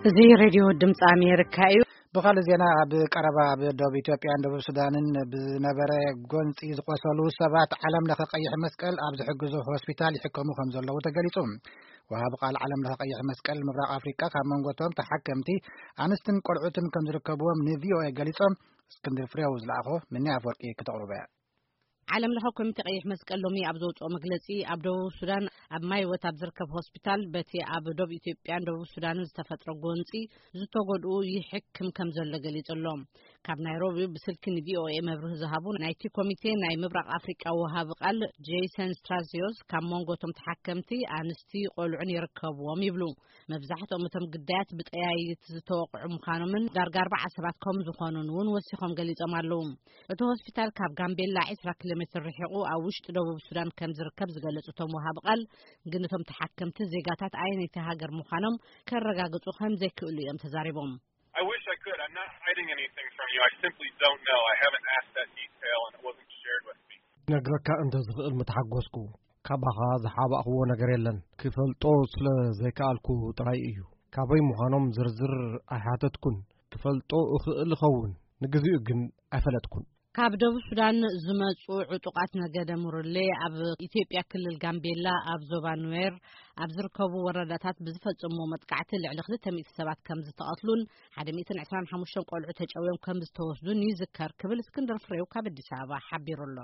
እዚ ሬድዮ ድምፂ ኣሜሪካ እዩ። ብኻልእ ዜና፣ ኣብ ቀረባ ኣብ ደቡብ ኢትዮጵያን ደቡብ ሱዳንን ብዝነበረ ጎንፂ ዝቆሰሉ ሰባት ዓለም ለኸ ቀይሕ መስቀል ኣብ ዝሕግዞ ሆስፒታል ይሕከሙ ከም ዘለዉ ተገሊጹ። ወሃቢ ቃል ዓለም ለኸ ቀይሕ መስቀል ምብራቕ ኣፍሪቃ ካብ መንጎቶም ተሓከምቲ ኣንስትን ቆልዑትን ከም ዝርከብዎም ንቪኦኤ ገሊጾም። እስክንድር ፍሬው ዝለኣኾ ምኒ ኣፍወርቂ ክተቕርበ። ዓለም ለኸ ኮሚቴ ቀይሕ መስቀል ሎሚ ኣብ ዘውፅኦ መግለፂ፣ ኣብ ደቡብ ሱዳን ኣብ ማይወት ኣብ ዝርከብ ሆስፒታል በቲ ኣብ ደቡብ ኢትዮጵያን ደቡብ ሱዳንን ዝተፈጥረ ጎንፂ ዝተጎድኡ ይሕክም ከም ዘሎ ገሊጹ ኣሎ። ካብ ናይሮቢ ብስልኪ ንቪኦኤ መብርሂ ዝሃቡ ናይቲ ኮሚቴ ናይ ምብራቕ ኣፍሪቃ ወሃቢ ቃል ጄሰን ስትራዚዮስ፣ ካብ መንጎ እቶም ተሓከምቲ ኣንስቲ ቆልዑን ይርከብዎም ይብሉ። መብዛሕትኦም እቶም ግዳያት ብጠያይት ዝተወቕዑ ምዃኖምን ዳርጋ ኣርባዓ ሰባት ከም ዝኾኑን እውን ወሲኾም ገሊጾም ኣለዉ። እቲ ሆስፒታል ካብ ጋምቤላ ዕስራ ኪሎ ሜትር ርሒቑ ኣብ ውሽጢ ደቡብ ሱዳን ከም ዝርከብ ዝገለጹ እቶም ወሃቢ ቃል፣ ግን እቶም ተሓከምቲ ዜጋታት ኣየነይቲ ሃገር ምዃኖም ከረጋግጹ ከም ዘይክእሉ እዮም ተዛሪቦም። I wish I could. I'm not hiding anything from you. I simply don't know. I haven't asked that detail and it wasn't shared with me. ነግረካ እንተ ዝኽእል ምተሓጎስኩ። ካባኻ ዝሓባእኽዎ ነገር የለን። ክፈልጦ ስለ ዘይከኣልኩ ጥራይ እዩ። ካበይ ምዃኖም ዝርዝር ኣይሓተትኩን። ክፈልጦ እኽእል እኸውን፣ ንግዚኡ ግን ኣይፈለጥኩን። ካብ ደቡብ ሱዳን ዝመጹ ዕጡቓት ነገደ ሙርሌ ኣብ ኢትዮጵያ ክልል ጋምቤላ ኣብ ዞባ ኑዌር ኣብ ዝርከቡ ወረዳታት ብዝፈጸምዎ መጥቃዕቲ ልዕሊ ክልተ ሚእቲ ሰባት ከም ዝተቐትሉን ሓደ ሚእትን ዕስራን ሓሙሽተን ቆልዑ ተጨውዮም ከም ዝተወስዱን ይዝከር ክብል እስክንድር ፍሬው ካብ ኣዲስ ኣበባ ሓቢሩ ኣሎ።